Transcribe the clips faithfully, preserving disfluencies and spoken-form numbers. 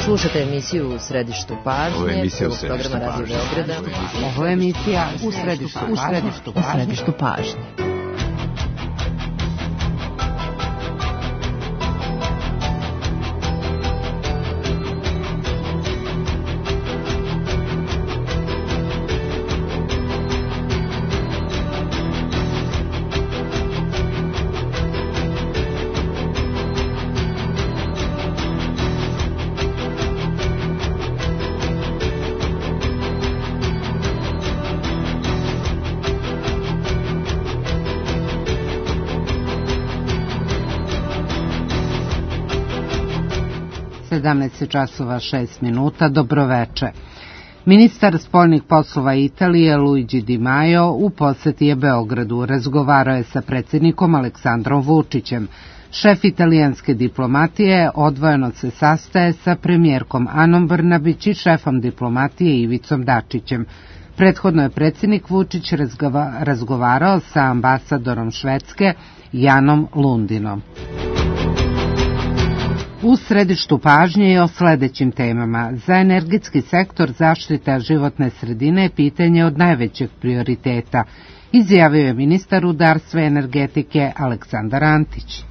Slušate emisiju U središtu pažnje. Ovo je emisija U središtu pažnje. Ovo je emisija U središtu pažnje. U središtu pažnje. sedamnaest časova šest minuta, dobroveče. Ministar spoljnih poslova Italije Luigi Di Maio u poseti je Beogradu. Razgovarao je sa predsjednikom Aleksandrom Vučićem. Šef italijanske diplomatije odvojeno se sastaje sa premijerkom Anom Brnabić i šefom diplomatije Ivicom Dačićem. Prethodno je predsjednik Vučić razgovarao sa ambasadorom Švedske Janom Lundinom. U središtu pažnje je o sledećim temama. Za energetski sektor zaštita životne sredine je pitanje od najvećeg prioriteta, izjavio je ministar rudarstva i energetike Aleksandar Antić.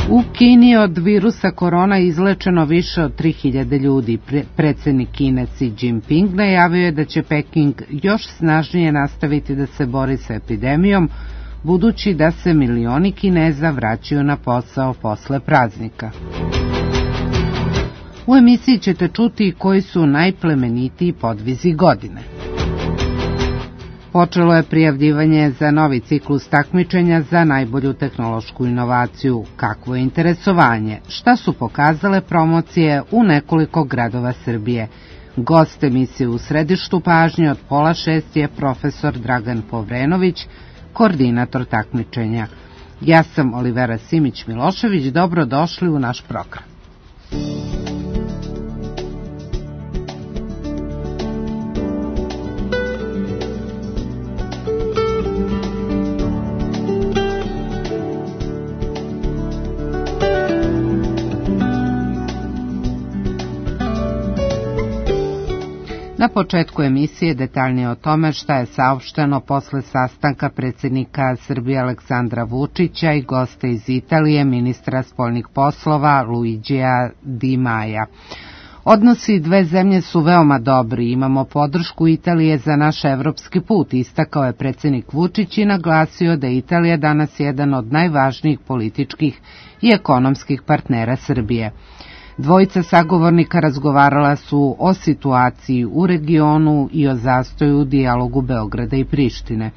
U Kini od virusa korona izlečeno više od tri hiljade ljudi. Predsjednik Kine Xi Jinping najavio je da će Peking još snažnije nastaviti da se bori sa epidemijom, budući da se milioni Kineza vraćaju na posao posle praznika. U emisiji ćete čuti koji su najplemenitiji podvizi godine. Počelo je prijavljivanje za novi ciklus takmičenja za najbolju tehnološku inovaciju. Kakvo je interesovanje? Šta su pokazale promocije u nekoliko gradova Srbije? Gost emisije U središtu pažnje od pola šest je profesor Dragan Povrenović, koordinator takmičenja. Ja sam Olivera Simić-Milošević, dobrodošli u naš program. Na početku emisije detaljnije o tome šta je saopšteno posle sastanka predsjednika Srbije Aleksandra Vučića i gosta iz Italije, ministra spoljnih poslova Luigija Di Maia. Odnosi dve zemlje su veoma dobri, imamo podršku Italije za naš evropski put, istakao je predsjednik Vučić i naglasio da je Italija danas jedan od najvažnijih političkih i ekonomskih partnera Srbije. Dvojica sagovornika razgovarala su o situaciji u regionu i o zastoju u dijalogu Beograda i Prištine.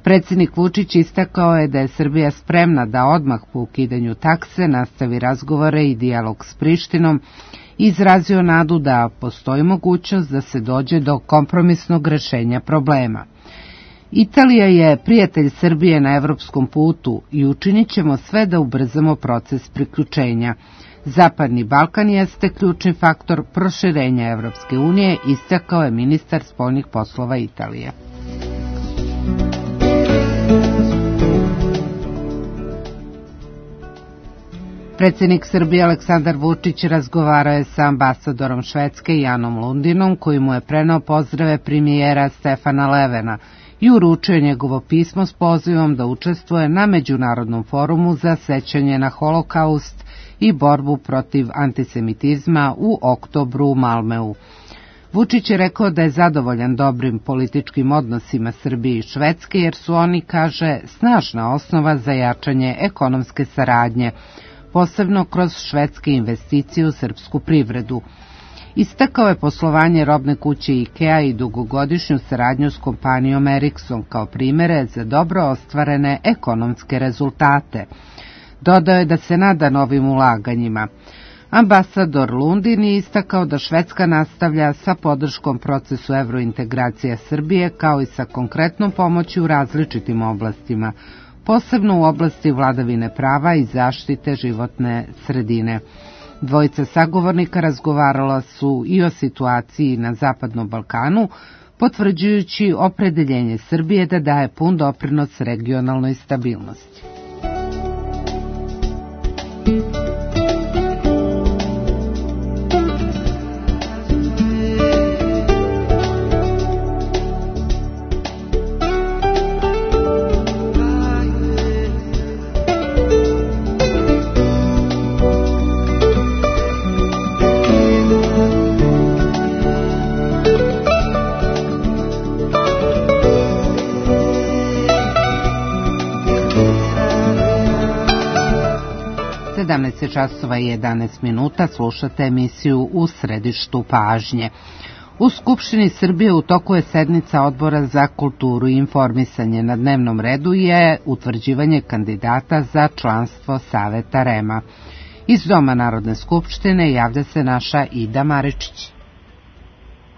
Predsjednik Vučić istakao je da je Srbija spremna da odmah po ukidanju takse nastavi razgovore i dijalog s Prištinom i izrazio nadu da postoji mogućnost da se dođe do kompromisnog rešenja problema. Italija je prijatelj Srbije na evropskom putu i učinit ćemo sve da ubrzamo proces priključenja. Zapadni Balkan jeste ključni faktor proširenja Evropske unije, istakao je ministar spoljnih poslova Italije. Predsjednik Srbije Aleksandar Vučić razgovarao je sa ambasadorom Švedske Janom Lundinom, koji mu je preneo pozdrave premijera Stefana Levena i uručio njegovo pismo s pozivom da učestvuje na Međunarodnom forumu za sećanje na Holokaust i borbu protiv antisemitizma u oktobru u Malmeu. Vučić je rekao da je zadovoljan dobrim političkim odnosima Srbije i Švedske, jer su oni, kaže, snažna osnova za jačanje ekonomske saradnje, posebno kroz švedske investicije u srpsku privredu. Istakao je poslovanje robne kuće IKEA i dugogodišnju saradnju s kompanijom Ericsson kao primere za dobro ostvarene ekonomske rezultate. Dodao je da se nada novim ulaganjima. Ambasador Lundin je istakao da Švedska nastavlja sa podrškom procesu evrointegracije Srbije, kao i sa konkretnom pomoći u različitim oblastima, posebno u oblasti vladavine prava i zaštite životne sredine. Dvojica sagovornika razgovarala su i o situaciji na Zapadnom Balkanu, potvrđujući opredeljenje Srbije da daje pun doprinos regionalnoj stabilnosti. sedamnaest časova i jedanaest minuta, slušate emisiju U središtu pažnje. U Skupštini Srbije u toku je sednica Odbora za kulturu i informisanje. Na dnevnom redu je utvrđivanje kandidata za članstvo Saveta R E M-a. Iz Doma Narodne skupštine javlja se naša Ida Maričić.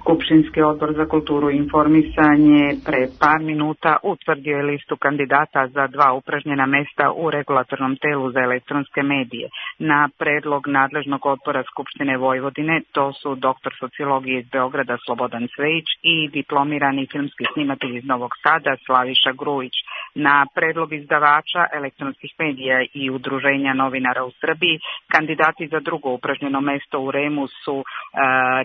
Skupštinski odbor za kulturu i informisanje pre par minuta utvrdio je listu kandidata za dva upražnjena mesta u regulatornom telu za elektronske medije. Na predlog nadležnog odbora Skupštine Vojvodine, to su doktor sociologije iz Beograda Slobodan Cvejić i diplomirani filmski snimatelj iz Novog Sada Slaviša Grujić. Na predlog izdavača elektronskih medija i udruženja novinara u Srbiji, kandidati za drugo upražnjeno mesto u R E M-u su e,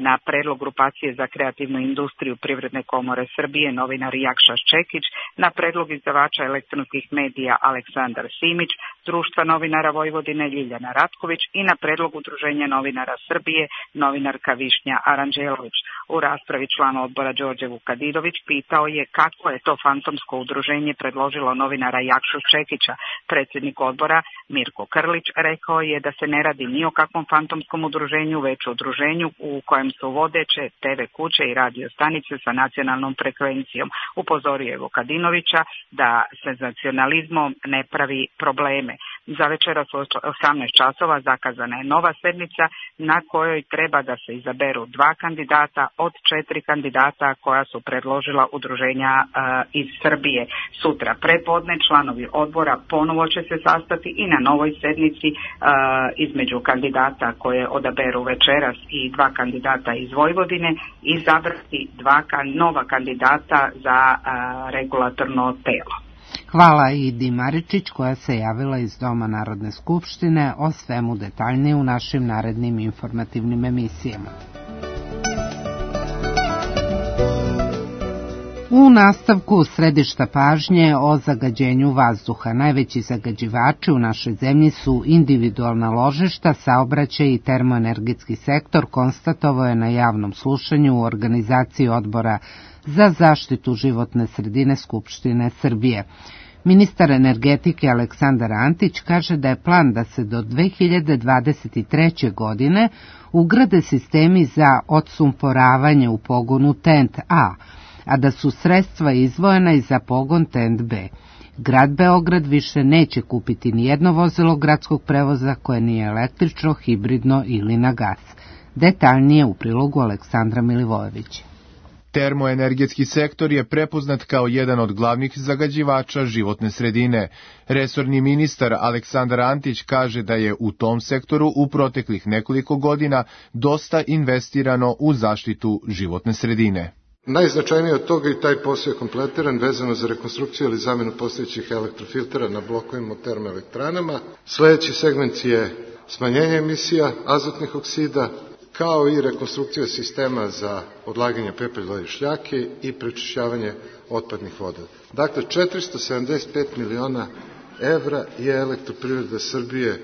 na predlog grupacije za kreativnu industriju Privredne komore Srbije novinar Jakša Ščekić, na predlog izdavača elektronskih medija Aleksandar Simić, Društva novinara Vojvodine Ljiljana Ratković i na predlog udruženja novinara Srbije novinarka Višnja Aranđelović. U raspravi član odbora Đorđe Vukadidović pitao je kako je to fantomsko udruženje predložilo novinara Jakšu Ščekića. Predsjednik odbora Mirko Krlić rekao je da se ne radi ni o kakvom fantomskom udruženju, već o udruženju u kojem su vodeće te ve kuće i radio stanice sa nacionalnom frekvencijom. Upozorio je Vukadinovića da se nacionalizmom ne pravi probleme. Za večeras u osamnaest časova zakazana je nova sednica na kojoj treba da se izaberu dva kandidata od četiri kandidata koja su predložila udruženja uh, iz Srbije. Sutra prepodne članovi odbora ponovo će se sastati i na novoj sednici uh, između kandidata koje odaberu večeras i dva kandidata iz Vojvodine izabrati dva nova kandidata za uh, regulatorno telo. Hvala Idi Maričić koja se javila iz Doma Narodne skupštine, o svemu detaljnije u našim narednim informativnim emisijama. U nastavku središta pažnje o zagađenju vazduha. Najveći zagađivači u našoj zemlji su individualna ložišta, saobraćaj i termoenergetski sektor, konstatovao je na javnom slušanju u organizaciji Odbora za zaštitu životne sredine Skupštine Srbije. Ministar energetike Aleksandar Antić kaže da je plan da se do dve hiljade dvadeset treće. godine ugrade sistemi za odsumporavanje u pogonu T E N T A, a da su sredstva izdvojena i za pogon T E N T B. Grad Beograd više neće kupiti ni jedno vozilo gradskog prevoza koje nije električno, hibridno ili na gas. Detaljnije u prilogu Aleksandra Milivojevića. Termoenergetski sektor je prepoznat kao jedan od glavnih zagađivača životne sredine. Resorni ministar Aleksandar Antić kaže da je u tom sektoru u proteklih nekoliko godina dosta investirano u zaštitu životne sredine. Najznačajnije od toga i taj posao je kompletiran vezano za rekonstrukciju ili zamenu postojećih elektrofiltera na blokovima u termoelektranama. Sljedeći segment je smanjenje emisija azotnih oksida, kao i rekonstrukcija sistema za odlaganje pepelja i šljake i prečišćavanje otpadnih voda. Dakle, četiristo sedamdeset pet miliona evra je Elektroprivreda Srbije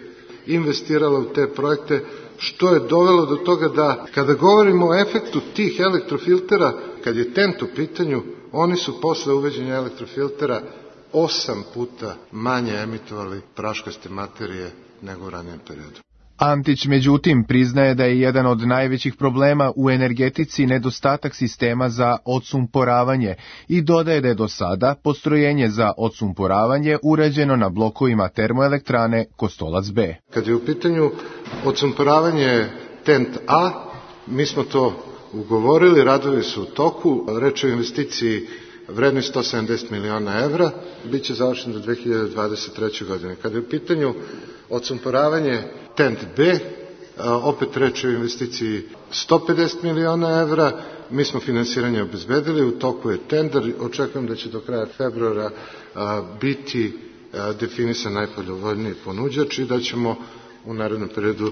investirala u te projekte, što je dovelo do toga da, kada govorimo o efektu tih elektrofiltera, kad je T E N T u pitanju, oni su posle uveđenja elektrofiltera osam puta manje emitovali praškaste materije nego u ranijem periodu. Antić, međutim, priznaje da je jedan od najvećih problema u energetici nedostatak sistema za odsumporavanje i dodaje da je do sada postrojenje za odsumporavanje urađeno na blokovima termoelektrane Kostolac B. Kad je u pitanju odsumporavanje T E N T A, mi smo to ugovorili, radovi su u toku, reč je o investiciji vrednoj sto sedamdeset miliona evra, bit će završen do dve hiljade dvadeset treće. godine. Kada je u pitanju odsumporavanje T E N T B, opet reč je o investiciji sto pedeset miliona evra, mi smo finansiranje obezbedili, u toku je tender, očekujem da će do kraja februara biti definisan najpovoljniji ponuđač i da ćemo u narednom periodu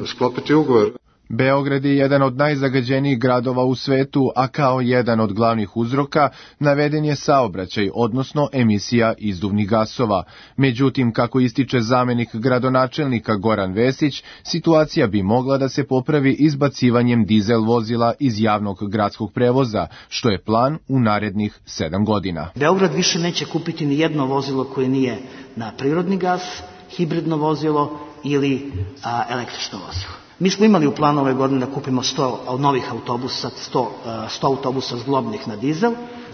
sklopiti ugovor. Beograd je jedan od najzagađenijih gradova u svetu, a kao jedan od glavnih uzroka naveden je saobraćaj, odnosno emisija izduvnih gasova. Međutim, kako ističe zamenik gradonačelnika Goran Vesić, situacija bi mogla da se popravi izbacivanjem dizel vozila iz javnog gradskog prevoza, što je plan u narednih sedam godina. Beograd više neće kupiti ni jedno vozilo koje nije na prirodni gas, hibridno vozilo ili a, električno vozilo. Mi smo imali u planu ove godine da kupimo sto novih autobusa, sto, sto autobusa zglobnih na dizel.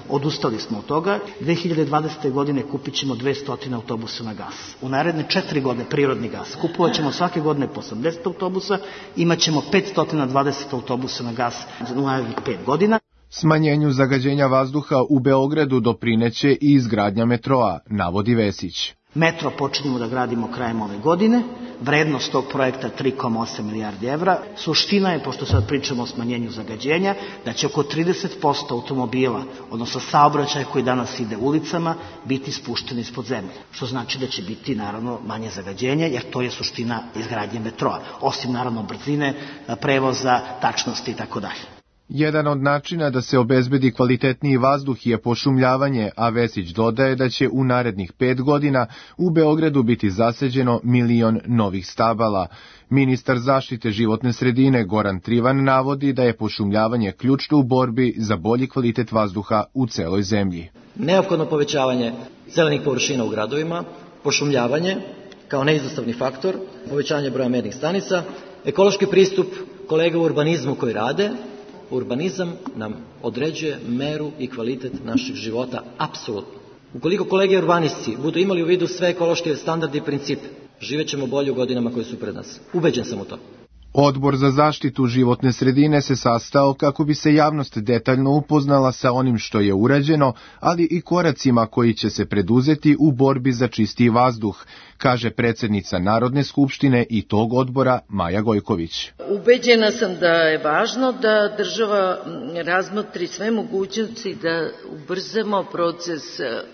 Odustali smo od toga. dve hiljade dvadesete. godine kupit ćemo dvesta autobusa na gas. U naredne četiri godine prirodni gas. Kupovat ćemo svake godine po osamdeset autobusa, imat ćemo petsto dvadeset autobusa na gas u narednih pet godina. Smanjenju zagađenja vazduha u Beogradu doprineće i izgradnja metroa, navodi Vesić. Metro počinjemo da gradimo krajem ove godine, vrednost tog projekta tri zarez osam milijardi evra. Suština je, pošto sad pričamo o smanjenju zagađenja, da će oko trideset posto automobila, odnosno saobraćaja koji danas ide ulicama, biti spušteni ispod zemlje. Što znači da će biti naravno manje zagađenja, jer to je suština izgradnje metroa. Osim naravno brzine, prevoza, tačnosti i tako dalje. Jedan od načina da se obezbedi kvalitetniji vazduh je pošumljavanje, a Vesić dodaje da će u narednih pet godina u Beogradu biti zasađeno milion novih stabala. Ministar zaštite životne sredine Goran Trivan navodi da je pošumljavanje ključno u borbi za bolji kvalitet vazduha u celoj zemlji. Neophodno povećavanje zelenih površina u gradovima, pošumljavanje kao neizostavni faktor, povećanje broja mernih stanica, ekološki pristup kolega u urbanizmu koji rade. Urbanizam nam određuje meru i kvalitet našeg života, apsolutno. Ukoliko kolege urbanisti budu imali u vidu sve ekološke standarde i principe, živet ćemo bolje u godinama koje su pred nas. Ubeđen sam u to. Odbor za zaštitu životne sredine se sastao kako bi se javnost detaljno upoznala sa onim što je urađeno, ali i koracima koji će se preduzeti u borbi za čistiji vazduh, kaže predsednica Narodne skupštine i tog odbora Maja Gojković. Ubeđena sam da je važno da država razmotri sve mogućnosti da ubrzamo proces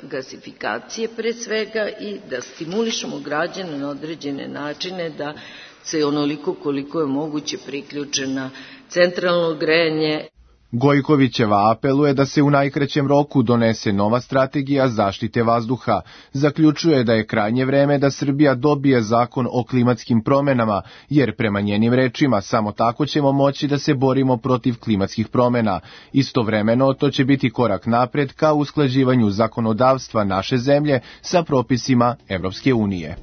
gasifikacije pre svega i da stimulišemo građane na određene načine da se onoliko koliko je moguće priključe na centralno grejanje. Gojkovićeva apeluje da se u najkraćem roku donese nova strategija zaštite vazduha. Zaključuje da je krajnje vreme da Srbija dobije zakon o klimatskim promenama, jer prema njenim rečima samo tako ćemo moći da se borimo protiv klimatskih promena. Istovremeno to će biti korak napred ka usklađivanju zakonodavstva naše zemlje sa propisima Evropske unije.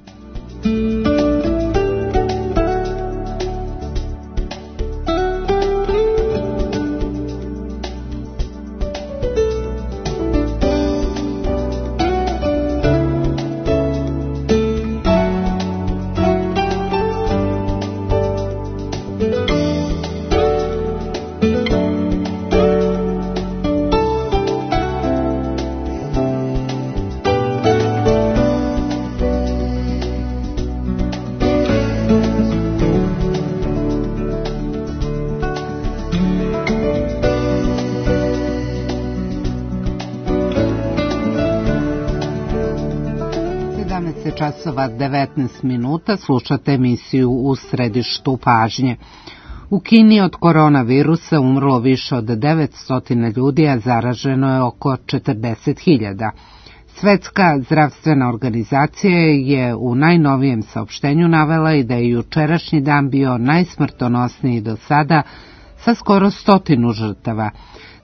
Časova devetnaest minuta, slušate emisiju U središtu pažnje. U Kini od koronavirusa umrlo više od devetsto ljudi, a zaraženo je oko četrdeset hiljada. Svetska zdravstvena organizacija je u najnovijem saopštenju navela i da je jučerašnji dan bio najsmrtonosniji do sada sa skoro stotinu žrtava.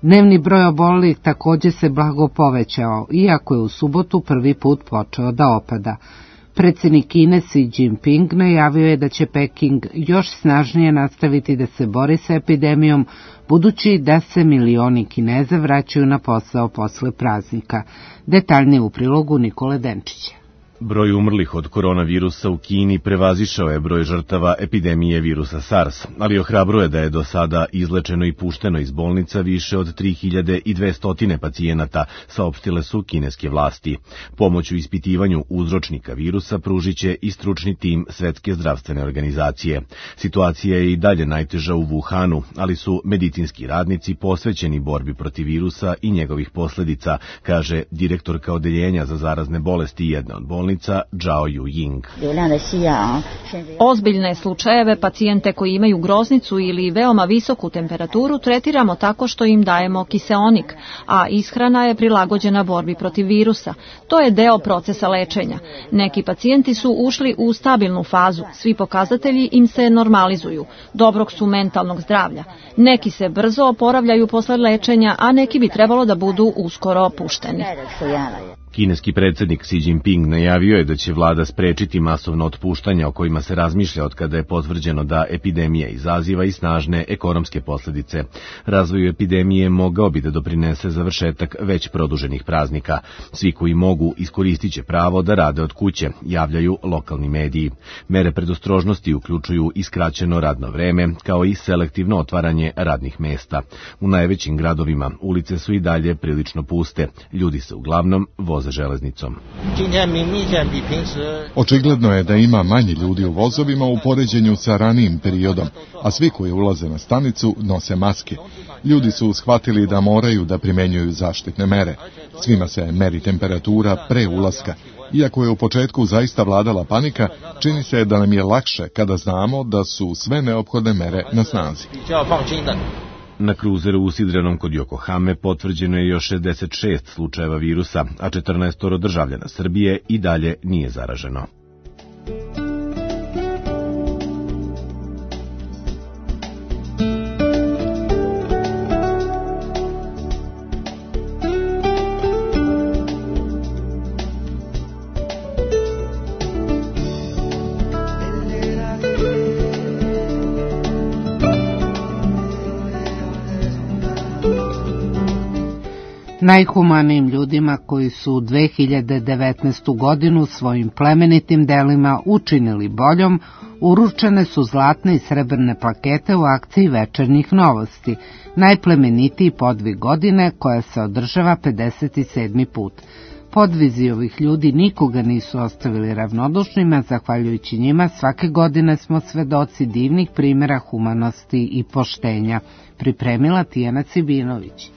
Dnevni broj obolelih također se blago povećao, iako je u subotu prvi put počeo da opada. Predsjednik Kine Xi Jinping najavio je da će Peking još snažnije nastaviti da se bori sa epidemijom, budući da se milioni Kineza vraćaju na posao posle praznika. Detaljnije u prilogu Nikole Denčića. Broj umrlih od koronavirusa u Kini prevazišao je broj žrtava epidemije virusa SARS, ali ohrabruje da je do sada izlečeno i pušteno iz bolnica više od tri hiljade dvesta pacijenata, saopštile su kineske vlasti. Pomoć u ispitivanju uzročnika virusa pružit će i stručni tim Svetske zdravstvene organizacije. Situacija je i dalje najteža u Wuhanu, ali su medicinski radnici posvećeni borbi protiv virusa i njegovih posledica, kaže direktorka odeljenja za zarazne bolesti jedne od bolnica, Zhao Yuying. Ozbiljne slučajeve pacijente koji imaju groznicu ili veoma visoku temperaturu tretiramo tako što im dajemo kiseonik, a ishrana je prilagođena borbi protiv virusa. To je deo procesa lečenja. Neki pacijenti su ušli u stabilnu fazu, svi pokazatelji im se normalizuju, dobrog su mentalnog zdravlja. Neki se brzo oporavljaju posle lečenja, a neki bi trebalo da budu uskoro opušteni. Kineski predsednik Xi Jinping najavio je da će vlada sprečiti masovno otpuštanja o kojima se razmišlja od kada je potvrđeno da epidemija izaziva i snažne ekonomske posledice. Razvoju epidemije mogao bi da doprinese završetak već produženih praznika. Svi koji mogu iskoristit će pravo da rade od kuće, javljaju lokalni mediji. Mere predostrožnosti uključuju i skraćeno radno vreme, kao i selektivno otvaranje radnih mesta. U najvećim gradovima ulice su i dalje prilično puste. Ljudi se uglavnom voze železnicom. Očigledno je da ima manje ljudi u vozovima u poređenju sa ranijim periodom, a svi koji ulaze na stanicu nose maske. Ljudi su shvatili da moraju da primenjuju zaštitne mere. Svima se meri temperatura pre ulaska. Iako je u početku zaista vladala panika, čini se da nam je lakše kada znamo da su sve neophodne mere na snazi. Na kruzeru usidrenom kod Yokohame potvrđeno je još šezdeset šest slučajeva virusa, a četrnaest državljana Srbije i dalje nije zaraženo. Najhumanijim ljudima koji su dve hiljade devetnaestu. godinu svojim plemenitim delima učinili boljom, uručene su zlatne i srebrne plakete u akciji Večernjih novosti, najplemenitiji podvig godine koja se održava pedeset sedmi put. Podvizi ovih ljudi nikoga nisu ostavili ravnodušnima, zahvaljujući njima svake godine smo svedoci divnih primjera humanosti i poštenja, pripremila Tijana Cibinović.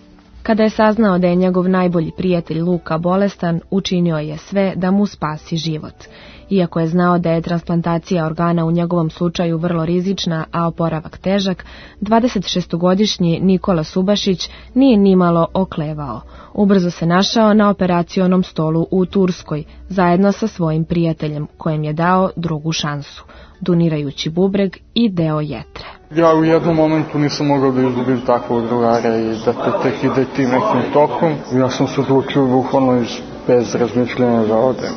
Kada je saznao da je njegov najbolji prijatelj Luka bolestan, učinio je sve da mu spasi život. Iako je znao da je transplantacija organa u njegovom slučaju vrlo rizična, a oporavak težak, dvadesetšestogodišnji Nikola Subašić nije nimalo oklevao. Ubrzo se našao na operacionom stolu u Turskoj, zajedno sa svojim prijateljem, kojem je dao drugu šansu, donirajući bubreg i deo jetre. Ja u jednom momentu nisam mogao da izgubim takvog drugara i da to tek ide tim nekim tokom. Ja sam se odlučio bukvalno bez razmišljanja da odem,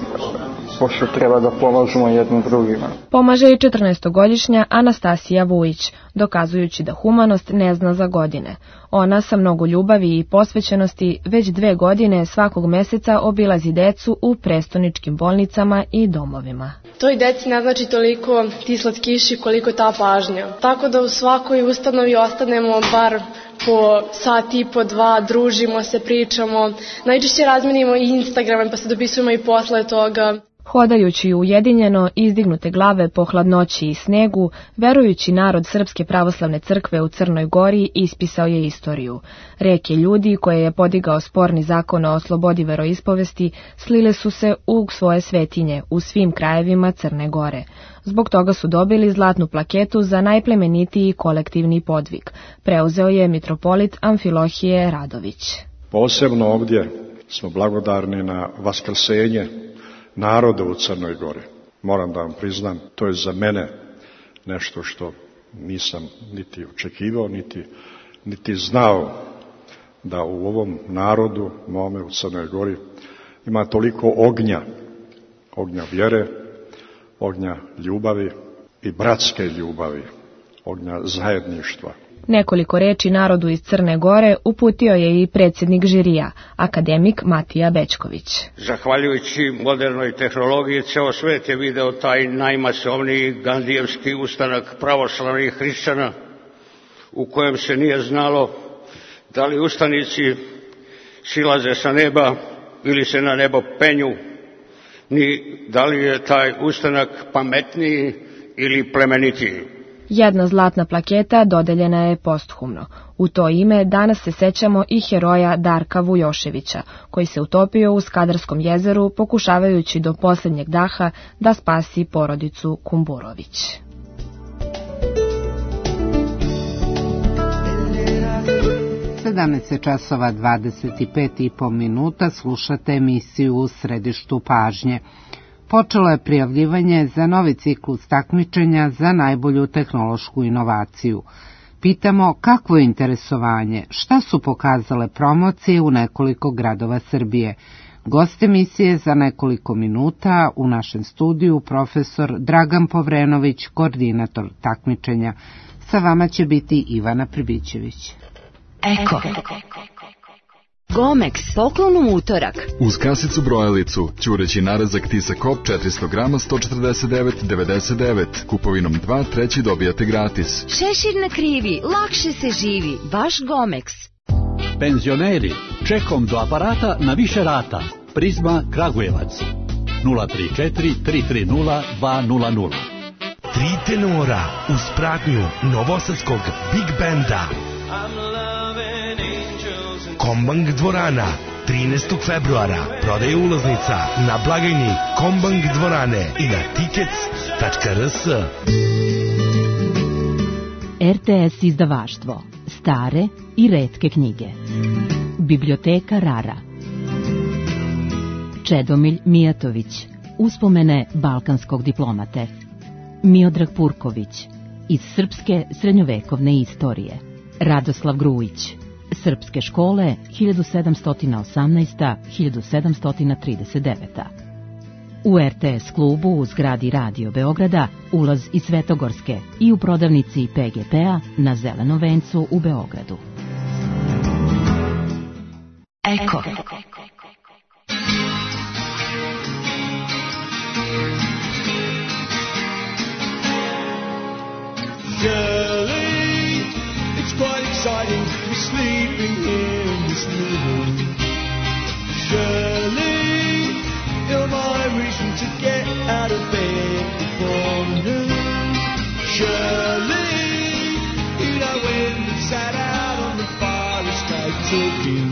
pošto treba da pomažemo jednim drugima. Pomaže i četrnaestogodišnja Anastasija Vujić, dokazujući da humanost ne zna za godine. Ona sa mnogo ljubavi i posvećenosti već dve godine svakog meseca obilazi decu u prestoničkim bolnicama i domovima. Toj deci ne znači toliko ti slatkiši koliko ta pažnja. Tako da u svakoj ustanovi ostanemo bar po sat i po dva, družimo se, pričamo. Najčešće razmenimo i Instagrame pa se dopisujemo i posle toga. Hodajući ujedinjeno, izdignute glave po hladnoći i snegu, verujući narod Srpske pravoslavne crkve u Crnoj Gori ispisao je istoriju. Reke ljudi koje je podigao sporni zakon o slobodi veroispovesti slile su se u svoje svetinje u svim krajevima Crne Gore. Zbog toga su dobili zlatnu plaketu za najplemenitiji kolektivni podvig. Preuzeo je mitropolit Amfilohije Radović. Posebno ovdje smo blagodarni na vaskrsenje naroda u Crnoj Gori. Moram da vam priznam, to je za mene nešto što nisam niti očekivao, niti, niti znao da u ovom narodu, mome u Crnoj Gori, ima toliko ognja, ognja vjere, ognja ljubavi i bratske ljubavi, ognja zajedništva. Nekoliko reči narodu iz Crne Gore uputio je i predsjednik žirija, akademik Matija Bećković. Zahvaljujući modernoj tehnologiji, ceo svet je video taj najmasovniji gandijevski ustanak pravoslavnih hrišćana, u kojem se nije znalo da li ustanici silaze sa neba ili se na nebo penju, ni da li je taj ustanak pametniji ili plemenitiji. Jedna zlatna plaketa dodeljena je posthumno. U to ime danas se sećamo i heroja Darka Vujoševića, koji se utopio u Skadarskom jezeru pokušavajući do posljednjeg daha da spasi porodicu Kumburović. sedamnaest časova dvadeset pet i po minuta, slušate emisiju U središtu pažnje. Počelo je prijavljivanje za novi ciklus takmičenja za najbolju tehnološku inovaciju. Pitamo kakvo je interesovanje, šta su pokazale promocije u nekoliko gradova Srbije. Gost emisije za nekoliko minuta u našem studiju profesor Dragan Povrenović, koordinator takmičenja. Sa vama će biti Ivana Pribićević. Eko. Gomex, poklon u utorak. Uz kasicu brojalicu, ćureći narezak Tisa Kop četiristo grama sto četrdeset devet devedeset devet. Kupovinom dva, treći dobijate gratis. Šešir na krivi, lakše se živi, baš Gomex. Penzioneri, čekom do aparata na više rata. Prizma Kragujevac. nula tri četiri tri tri nula dva nula nula. Tri tenora uz pratnju novosadskog Big Banda. Kombang dvorana, trinaestog februara, prodaje ulaznica na blagajni Kombang dvorane i na tickets tačka r s. R T S izdavaštvo, stare i retke knjige. Biblioteka Rara. Čedomilj Mijatović, uspomene balkanskog diplomate. Miodrag Purković, iz srpske srednjovekovne istorije. Radoslav Grujić, srpske škole hiljadu sedamsto osamnaesti do hiljadu sedamsto trideset devete. U R T S klubu u zgradi Radio Beograda ulaz iz Svetogorske i u prodavnici P G P-a na Zelenom vencu u Beogradu. Eko. Shirley, it's quite exciting to be sleeping here in this room. Shirley, you're my reason to get out of bed before noon. Shirley, you know when we sat out on the bar and started talking.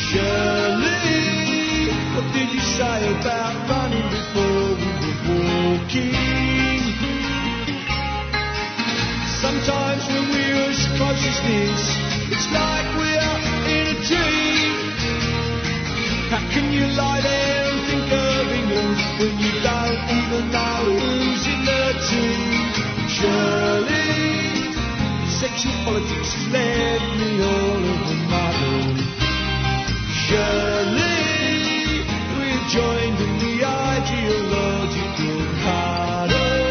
Shirley, what did you say about running before we were walking? Sometimes when we're as close as this, it's like we're in a dream. How can you lie there and think of England when you don't even know who's in the team? Surely, sexual politics has left me all of a muddle. Surely, we're joined in the ideological huddle.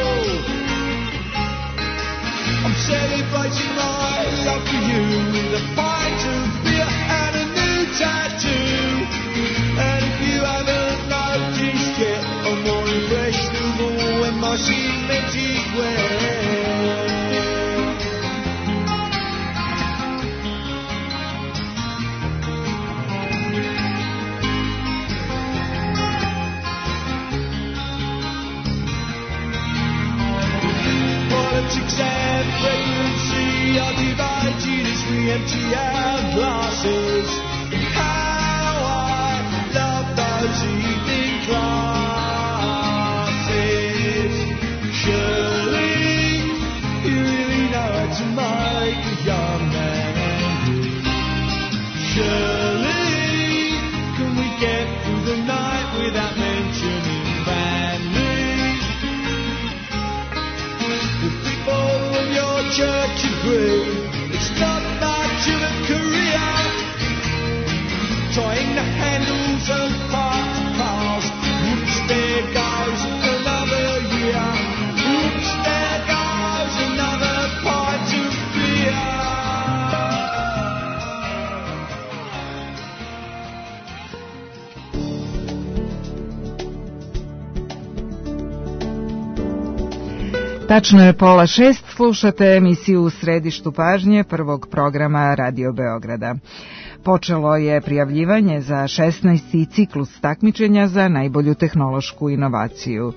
I'm celebrating my love for you with a pint of beer and a new tattoo. And if you haven't noticed yet, I'm more impressionable when my cemented wear. Politics and pregnancy are divided as we empty our glasses. How I love those evening classes. Surely you really know how to make a young man angry. Surely can we get through the night without mentioning family? The people of your church agree it's not much of a career. Trying the handles of parked cars. Oops, there goes another year. Oops, there goes another pint of beer. Tačno je pola šest, slušate emisiju U središtu pažnje prvog programa Radio Beograda. Počelo je prijavljivanje za šesnaesti ciklus takmičenja za najbolju tehnološku inovaciju.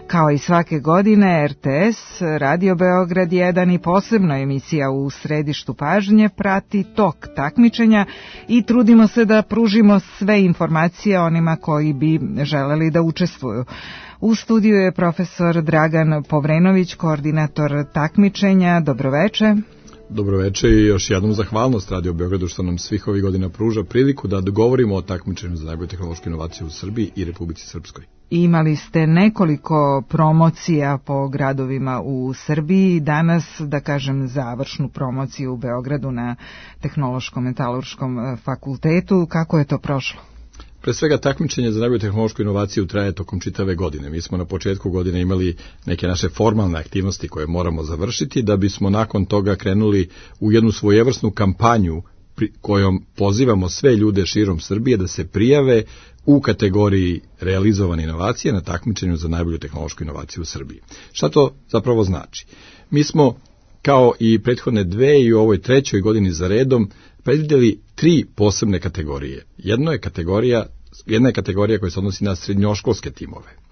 Kao i svake godine, R T S, Radio Beograd jedan i posebno emisija U središtu pažnje prati tok takmičenja i trudimo se da pružimo sve informacije onima koji bi želeli da učestvuju. U studiju je profesor Dragan Povrenović, koordinator takmičenja. Dobroveče. Dobroveče i još jednom zahvalnost Radio Beogradu što nam svih ovih godina pruža priliku da dogovorimo o takmičenju za najbolju tehnološku inovaciju u Srbiji i Republici Srpskoj. Imali ste nekoliko promocija po gradovima u Srbiji, danas, da kažem, završnu promociju u Beogradu na Tehnološkom metalurškom fakultetu. Kako je to prošlo? Pre svega takmičenje za najbolju tehnološku inovaciju traje tokom čitave godine. Mi smo na početku godine imali neke naše formalne aktivnosti koje moramo završiti, da bismo nakon toga krenuli u jednu svojevrsnu kampanju kojom pozivamo sve ljude širom Srbije da se prijave u kategoriji realizovane inovacije na takmičenju za najbolju tehnološku inovaciju u Srbiji. Šta to zapravo znači? Mi smo, kao i prethodne dve i u ovoj trećoj godini za redom, predvidjeli tri posebne kategorije. Jedno je kategorija, jedna je kategorija koja se odnosi na srednjoškolske timove.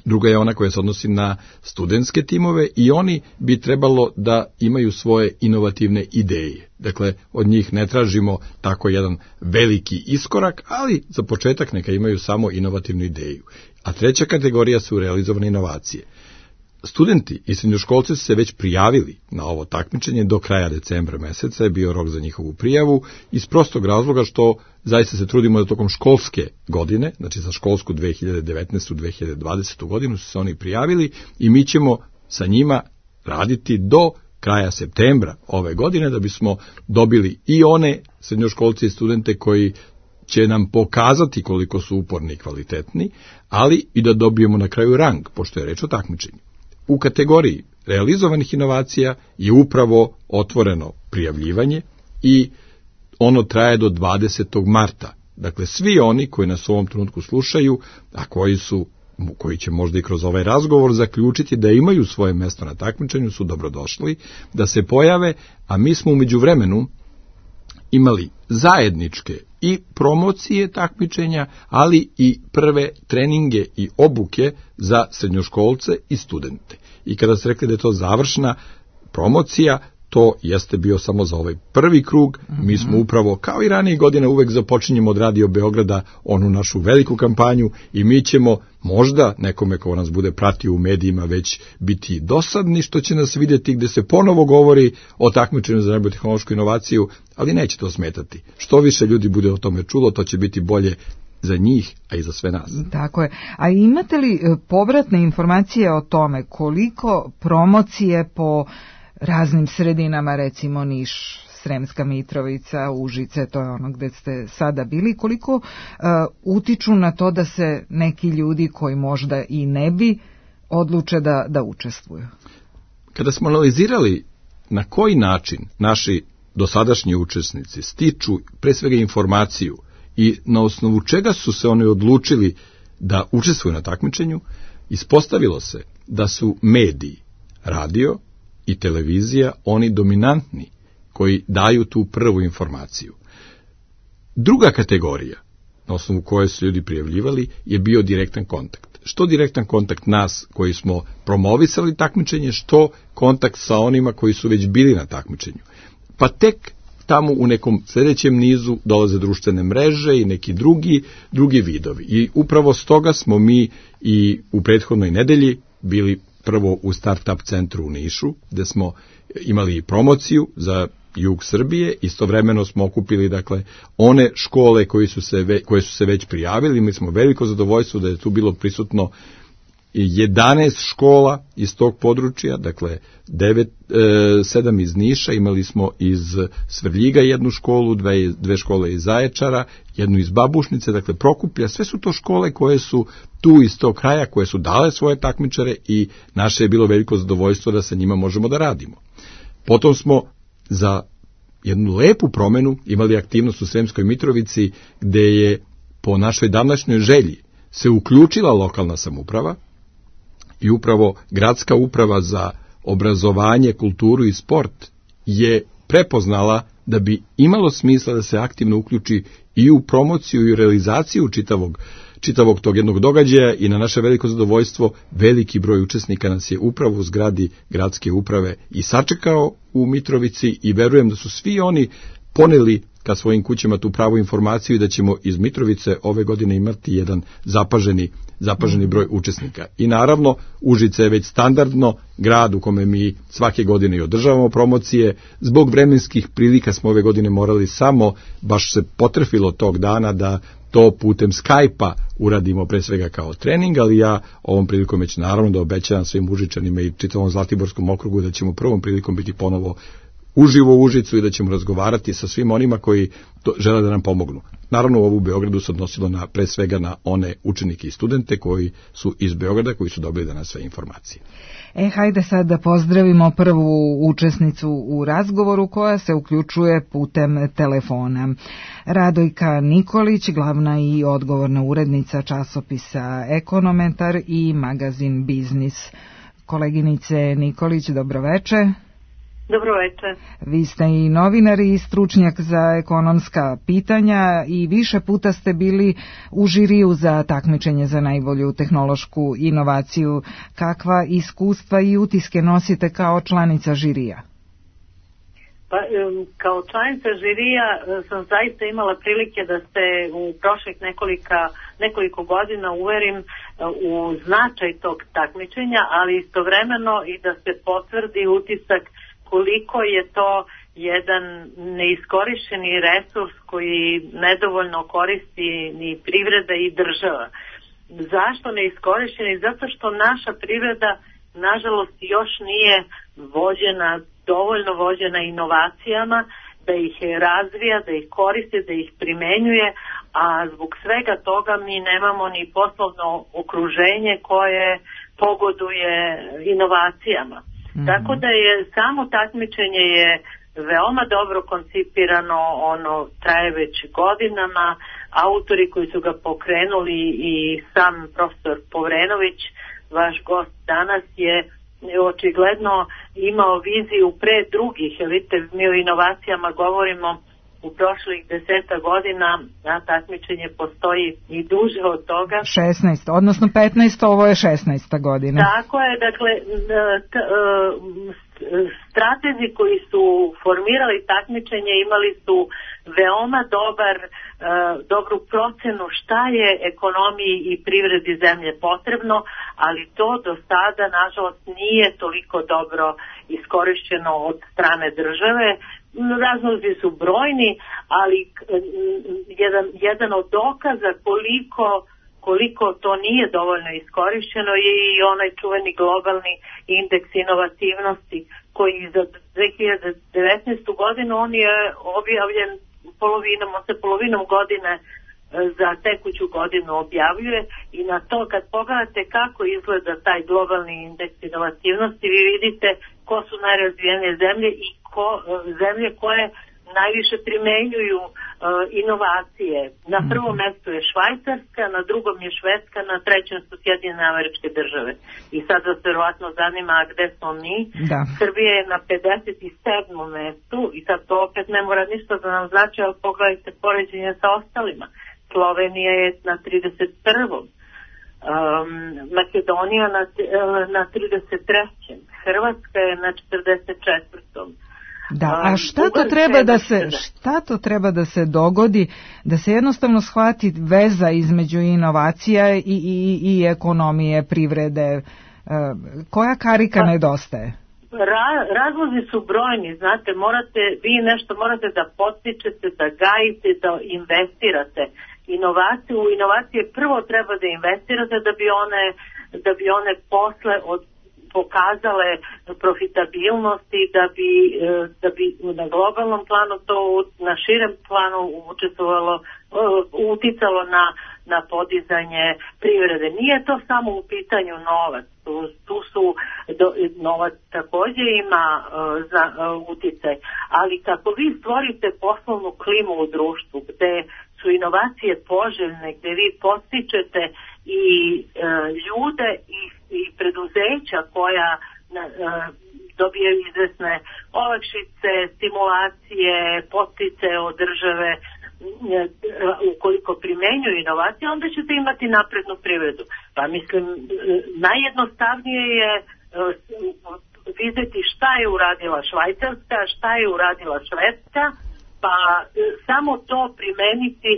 Druga je ona koja se odnosi na studentske timove i oni bi trebalo da imaju svoje inovativne ideje. Dakle, od njih ne tražimo tako jedan veliki iskorak, ali za početak neka imaju samo inovativnu ideju. A treća kategorija su realizovane inovacije. Studenti i srednjoškolci su se već prijavili na ovo takmičenje, do kraja decembra meseca je bio rok za njihovu prijavu, iz prostog razloga što zaista se trudimo da tokom školske godine, znači za školsku dve hiljade devetnaeste dve hiljade dvadesete godinu su se oni prijavili i mi ćemo sa njima raditi do kraja septembra ove godine da bismo dobili i one srednjoškolce i studente koji će nam pokazati koliko su uporni i kvalitetni, ali i da dobijemo na kraju rang, pošto je reč o takmičenju. U kategoriji realizovanih inovacija je upravo otvoreno prijavljivanje i ono traje do dvadesetog marta. Dakle, svi oni koji nas u ovom trenutku slušaju, a koji su, koji će možda i kroz ovaj razgovor zaključiti da imaju svoje mesto na takmičenju, su dobrodošli da se pojave, a mi smo u međuvremenu imali zajedničke i promocije takmičenja, ali i prve treninge i obuke za srednjoškolce i studente. I kada ste rekli da je to završna promocija, to jeste bio samo za ovaj prvi krug. Mi smo upravo, kao i ranije godine, uvek započinjemo od Radio Beograda onu našu veliku kampanju i mi ćemo možda nekome ko nas bude pratio u medijima već biti dosadni što će nas vidjeti gde se ponovo govori o takmičenju za najbolju tehnološku inovaciju, ali neće to smetati. Što više ljudi bude o tome čulo, to će biti bolje za njih, a i za sve nas. Tako je. A imate li povratne informacije o tome koliko promocije po raznim sredinama, recimo Niš, Sremska Mitrovica, Užice, to je ono gde ste sada bili, koliko uh, utiču na to da se neki ljudi koji možda i ne bi odluče da, da učestvuju? Kada smo analizirali na koji način naši dosadašnji učesnici stiču pre svega informaciju i na osnovu čega su se oni odlučili da učestvuju na takmičenju, ispostavilo se da su mediji, radio i televizija oni dominantni koji daju tu prvu informaciju. Druga kategorija na osnovu koje su ljudi prijavljivali je bio direktan kontakt. Što direktan kontakt nas koji smo promovisali takmičenje, što kontakt sa onima koji su već bili na takmičenju. Pa tek tamo u nekom sljedećem nizu dolaze društvene mreže i neki drugi, drugi vidovi. I upravo stoga smo mi i u prethodnoj nedelji bili prvo u Startup centru u Nišu, gde smo imali promociju za jug Srbije, istovremeno smo okupili dakle one škole koji su se ve, koje su se već prijavili. Mi smo veliko zadovoljstvo da je tu bilo prisutno jedanaest škola iz tog područja, dakle devet, e, sedam iz Niša, imali smo iz Svrljiga jednu školu, dve, dve škole iz Zaječara, jednu iz Babušnice, dakle Prokuplja, sve su to škole koje su tu iz tog kraja, koje su dale svoje takmičare i naše je bilo veliko zadovoljstvo da sa njima možemo da radimo. Potom smo za jednu lepu promenu imali aktivnost u Sremskoj Mitrovici, gde je po našoj davnašnjoj želji se uključila lokalna samouprava i upravo gradska uprava za obrazovanje, kulturu i sport je prepoznala da bi imalo smisla da se aktivno uključi i u promociju i u realizaciju čitavog, čitavog tog jednog događaja i na naše veliko zadovoljstvo veliki broj učesnika nas je upravo u zgradi gradske uprave i sačekao u Mitrovici i verujem da su svi oni poneli ka svojim kućama tu pravu informaciju i da ćemo iz Mitrovice ove godine imati jedan zapaženi, zapaženi broj učesnika. I naravno, Užice je već standardno grad u kome mi svake godine i održavamo promocije. Zbog vremenskih prilika smo ove godine morali samo, baš se potrefilo tog dana da to putem Skype-a uradimo pre svega kao trening, ali ja ovom prilikom već naravno da obećavam svim Užičanima i čitavom Zlatiborskom okrugu da ćemo prvom prilikom biti ponovo uživo u Užicu i da ćemo razgovarati sa svim onima koji to žele da nam pomognu. Naravno, ovo u Beogradu se odnosilo na, pre svega na one učenike i studente koji su iz Beograda, koji su dobili danas sve informacije. E, hajde sad da pozdravimo prvu učesnicu u razgovoru koja se uključuje putem telefona. Radojka Nikolić, glavna i odgovorna urednica časopisa Ekonometar i magazin Biznis. Koleginice Nikolić, dobroveče. Dobro večer. Vi ste i novinar i stručnjak za ekonomska pitanja i više puta ste bili u žiriju za takmičenje za najbolju tehnološku inovaciju. Kakva iskustva i utiske nosite kao članica žirija? Pa, kao članica žirija sam zaista imala prilike da se u prošlih nekolika, nekoliko godina uverim u značaj tog takmičenja, ali istovremeno i da se potvrdi utisak koliko je to jedan neiskorišćeni resurs koji nedovoljno koristi ni privreda i država. Zašto neiskorišćeni? Zato što naša privreda, nažalost, još nije vođena, dovoljno vođena inovacijama, da ih razvija, da ih koristi, da ih primenjuje, a zbog svega toga mi nemamo ni poslovno okruženje koje pogoduje inovacijama. Mm-hmm. Tako da je samo takmičenje je veoma dobro koncipirano, ono traje već godinama, autori koji su ga pokrenuli i sam profesor Povrenović, vaš gost danas, je očigledno imao viziju pre drugih. Vidite, mi o inovacijama govorimo u prošlih deseta godina, a takmičenje postoji i duže od toga. šesnaest, odnosno petnaest, ovo je šesnaesta godina. Tako je, dakle, stratezi koji su formirali takmičenje imali su veoma dobar, dobru procenu šta je ekonomiji i privredi zemlje potrebno, ali to do sada, nažalost, nije toliko dobro iskorišćeno od strane države. Razlozi su brojni, ali jedan, jedan od dokaza koliko, koliko to nije dovoljno iskorišćeno je i onaj čuveni globalni indeks inovativnosti koji za dve hiljade devetnaestu godinu on je objavljen polovinom, on se polovinom godine za tekuću godinu objavljuje i na to kad pogledate kako izgleda taj globalni indeks inovativnosti, vi vidite ko su najrazvijenije zemlje i ko, zemlje koje najviše primenjuju uh, inovacije. Na prvom mjestu je Švajcarska, na drugom je Švedska, na trećem su Sjedinjene Američke Države. I sad vas verovatno zanima gde smo mi. Da. Srbija je na pedeset sedmom mestu i sad to opet ne mora ništa da nam znači, ali pogledajte poređenje sa ostalima. Slovenija je na trideset prvom Um, Makedonija na, na trideset trećem Hrvatska je na četrdeset četvrtom Da, a šta to treba da se šta to treba da se dogodi da se jednostavno shvati veza između inovacija i i i ekonomije, privrede? Koja karika nedostaje? Ra, razlozi su brojni, znate, morate, vi nešto morate da podstičete, da gajite, da investirate. Inovaciju, u inovacije prvo treba da investirate da bi one, da bi one posle od, pokazale profitabilnosti, da bi, da bi na globalnom planu to, na širem planu učestvovalo, uticalo na, na podizanje privrede. Nije to samo u pitanju novac, tu, tu su, do, novac također ima uh, za uh, uticaj, ali kako vi stvorite poslovnu klimu u društvu gde su inovacije poželjne, gde vi postičete i uh, ljude i, i preduzeća koja uh, dobijaju izvesne olakšice, stimulacije, potice od države, ukoliko primenjuju inovacije, onda ćete imati naprednu privredu. Pa mislim, najjednostavnije je vidjeti šta je uradila Švajcarska, šta je uradila Švedska, pa samo to primeniti,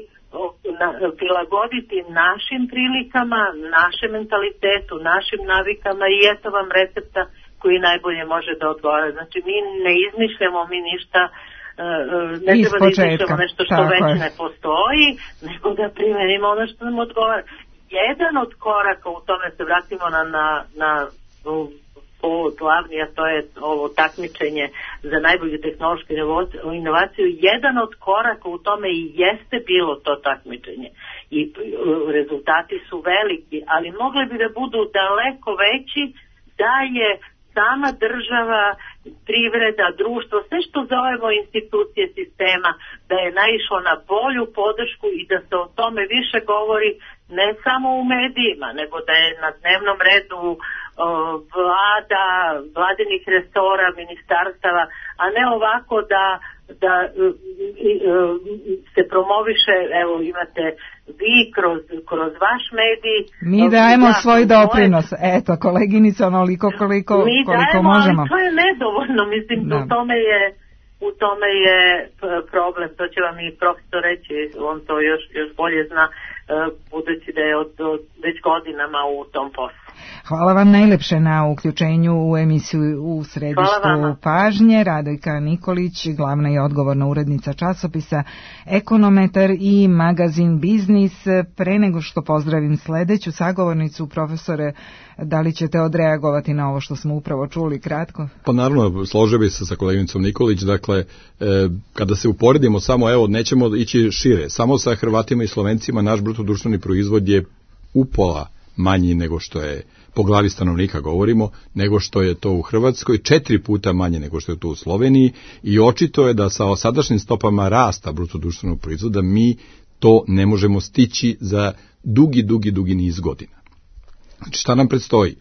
prilagoditi našim prilikama, našem mentalitetu, našim navikama i eto vam recepta koji najbolje može da odgovara. Znači mi ne izmišljamo mi ništa, ne treba da izmišljamo nešto što već je. Ne postoji, nego da primenimo ono što nam odgovara. Jedan od koraka u tome se vratimo na, na, na povod glavni, a to je ovo takmičenje za najbolju tehnološku inovaciju. Jedan od koraka u tome i jeste bilo to takmičenje i rezultati su veliki, ali mogli bi da budu daleko veći da je sama država, privreda, društvo, sve što zovemo institucije sistema, da je naišlo na bolju podršku i da se o tome više govori ne samo u medijima, nego da je na dnevnom redu o, vlada, vladinih resora, ministarstava, a ne ovako da, da i, se promoviše, evo imate vi kroz, kroz vaš medij. Mi dajemo da, svoj doprinos, moje... eto, koleginice, onoliko koliko, mi koliko dajemo, možemo. Ali to je nedovoljno, mislim, da. u tome je u tome je problem, to će vam i profesor reći, on to još, još bolje zna, budući da je od, od već godinama u tom poslu. Hvala vam najlepše na uključenju u emisiju U središtu pažnje. Radojka Nikolić, glavna i odgovorna urednica časopisa Ekonometar i magazin Biznis. Pre nego što pozdravim sledeću sagovornicu, profesore, da li ćete odreagovati na ovo što smo upravo čuli kratko? Pa naravno, složio bi se sa koleginicom Nikolić, dakle, e, kada se uporedimo samo, evo, nećemo ići šire, samo sa Hrvatima i Slovencima naš bruto društveni proizvod je upola manji nego što je, po glavi stanovnika govorimo, nego što je to u Hrvatskoj, četiri puta manje nego što je to u Sloveniji i očito je da sa sadašnjim stopama rasta bruto društvenog proizvoda mi to ne možemo stići za dugi, dugi, dugi niz godina. Znači, šta nam predstoji?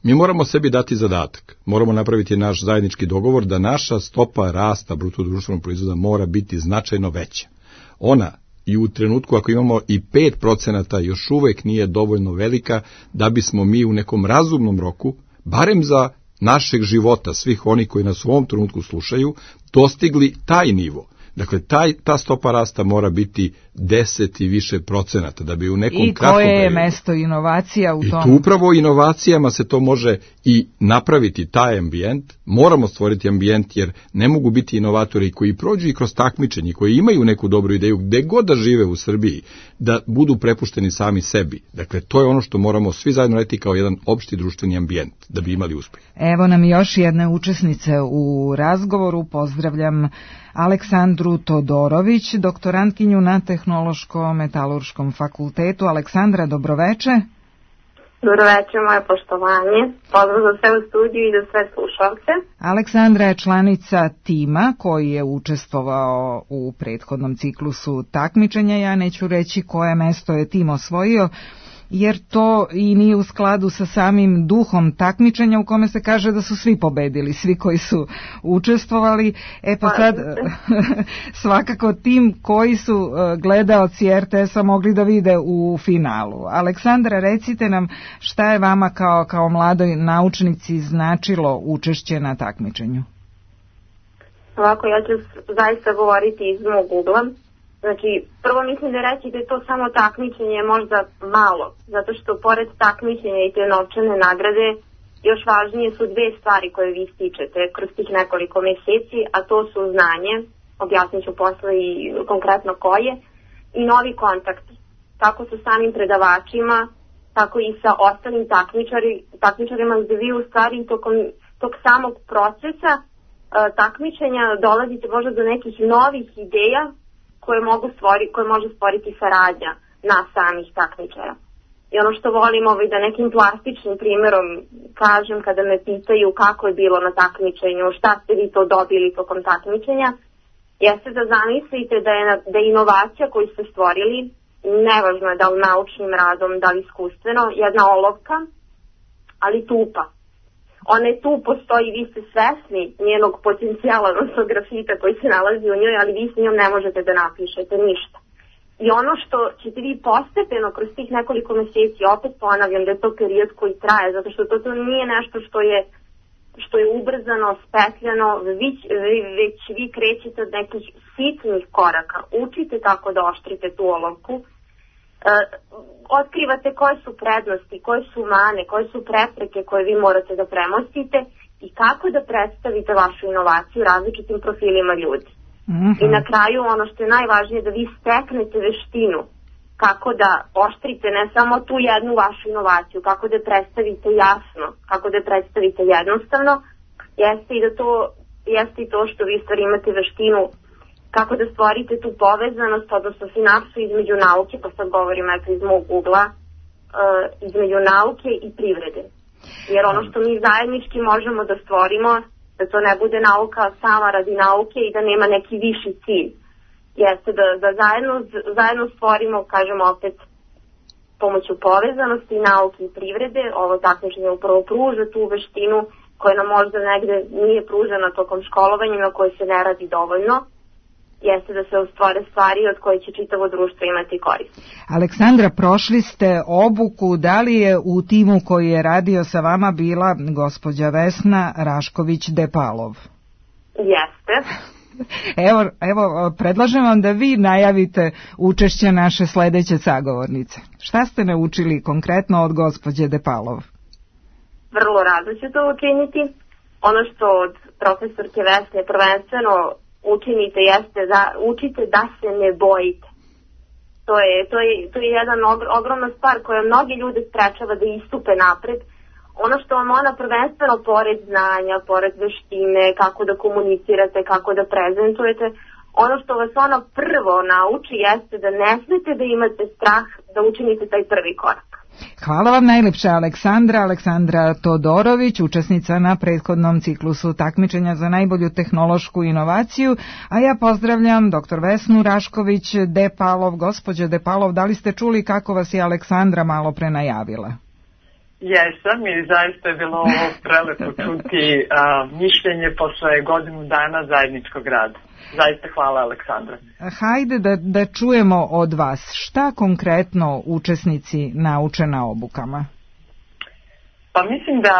Mi moramo sebi dati zadatak, moramo napraviti naš zajednički dogovor da naša stopa rasta bruto društvenog proizvoda mora biti značajno veća. Ona i u trenutku ako imamo i pet procenata još uvek nije dovoljno velika da bismo mi u nekom razumnom roku, barem za našeg života, svih oni koji nas u ovom trenutku slušaju, dostigli taj nivo. Dakle, taj, ta stopa rasta mora biti deset i više procenata da bi u nekom I kratkom koje je periodu... mesto inovacija u tom? I tu upravo inovacijama se to može i napraviti, taj ambijent. Moramo stvoriti ambijent jer ne mogu biti inovatori koji prođu i kroz takmičenje, koji imaju neku dobru ideju gde god da žive u Srbiji, da budu prepušteni sami sebi. Dakle, to je ono što moramo svi zajedno raditi kao jedan opšti društveni ambijent da bi imali uspeh. Evo nam još jedne učesnice u razgovoru. Pozdravljam Aleksandru Todorović, doktorantkinju na Tehnološko-metalurškom fakultetu. Aleksandra, dobroveče. Dobroveče, moje poštovanje. Pozdrav za sve u studiju i za sve slušalce. Aleksandra je članica tima koji je učestvovao u prethodnom ciklusu takmičenja. Ja neću reći koje mesto je tim osvojio, jer to i nije u skladu sa samim duhom takmičenja u kome se kaže da su svi pobedili, svi koji su učestvovali. E pa sad, svakako tim koji su gledaoci er te es-a mogli da vide u finalu. Aleksandra, recite nam šta je vama kao, kao mladoj naučnici značilo učešće na takmičenju? Ovako, ja ću zaista govoriti iz mog ugla. Znači, prvo mislim da reći da je to samo takmičenje možda malo, zato što pored takmičenja i te novčane nagrade, još važnije su dve stvari koje vi stičete kroz tih nekoliko meseci, a to su znanje, objasnit ću posle i konkretno koje, i novi kontakt, kako sa samim predavačima, tako i sa ostalim takmičari, takmičarima, gde vi u stvari tokom tog samog procesa uh, takmičenja dolazite možda do nekih novih ideja koje mogu stvori, koje može stvoriti saradnja na samih takmičara. I ono što volim ovaj, da nekim plastičnim primjerom kažem kada me pitaju kako je bilo na takmičenju, šta ste vi to dobili tokom takmičenja, jeste da zamislite da je, da je inovacija koju ste stvorili, nevažno je da li naučnim radom, da li iskustveno, jedna olovka, ali tupa. Ona je tu, postoji, vi ste svesni njenog potencijala, odnosno grafita koji se nalazi u njoj, ali vi s njom ne možete da napišete ništa. I ono što ćete vi postepeno kroz tih nekoliko meseci, opet ponavljam da je to period koji traje, zato što to, to nije nešto što je, što je ubrzano, spetljano, već, već vi krećete od nekih sitnih koraka, učite tako da oštrite tu olovku, Uh, otkrivate koje su prednosti, koje su mane, koje su prepreke koje vi morate da premostite i kako da predstavite vašu inovaciju različitim profilima ljudi. Mm-hmm. I na kraju ono što je najvažnije da vi steknete veštinu kako da oštrite ne samo tu jednu vašu inovaciju, kako da je predstavite jasno, kako da je predstavite jednostavno, jeste i da to, jeste i to što vi stvari imate veštinu kako da stvorite tu povezanost, odnosno sinapsu između nauke, pa sad govorim eto iz mog ugla, uh, između nauke i privrede. Jer ono što mi zajednički možemo da stvorimo, da to ne bude nauka sama radi nauke i da nema neki viši cilj, jeste da, da zajedno, zajedno stvorimo, kažemo opet, pomoću povezanosti nauke i privrede, ovo takmičenje upravo pruža tu veštinu koja nam možda negde nije pružena tokom školovanja, na kojoj se ne radi dovoljno, jeste da se ustvore stvari od koje će čitavo društvo imati korist. Aleksandra, prošli ste obuku, da li je u timu koji je radio sa vama bila gospođa Vesna Rašković-Depalov? Jeste. Evo, evo, predlažem vam da vi najavite učešće naše sledeće sagovornice. Šta ste naučili konkretno od gospođe Depalov? Vrlo rado ću to učiniti. Ono što od profesorke Vesne prvenstveno učinite jeste da učite da se ne bojite. To je, to je, to je jedan ogromna stvar koja mnogi ljude sprečava da istupe napred. Ono što vam ona prvenstveno pored znanja, pored veštine, kako da komunicirate, kako da prezentujete, ono što vas ona prvo nauči jeste da ne smete da imate strah da učinite taj prvi korak. Hvala vam najlepše, Aleksandra. Aleksandra Todorović, učesnica na prethodnom ciklusu takmičenja za najbolju tehnološku inovaciju, a ja pozdravljam doktor Vesnu Rašković-Depalov. Gospođo Depalov, da li ste čuli kako vas je Aleksandra malo pre najavila? Jesam i zaista je bilo ovo prelepo čuti a, mišljenje posle godinu dana zajedničkog rada. Zaista hvala, Aleksandra. Hajde da, da čujemo od vas šta konkretno učesnici nauče na obukama. Pa mislim da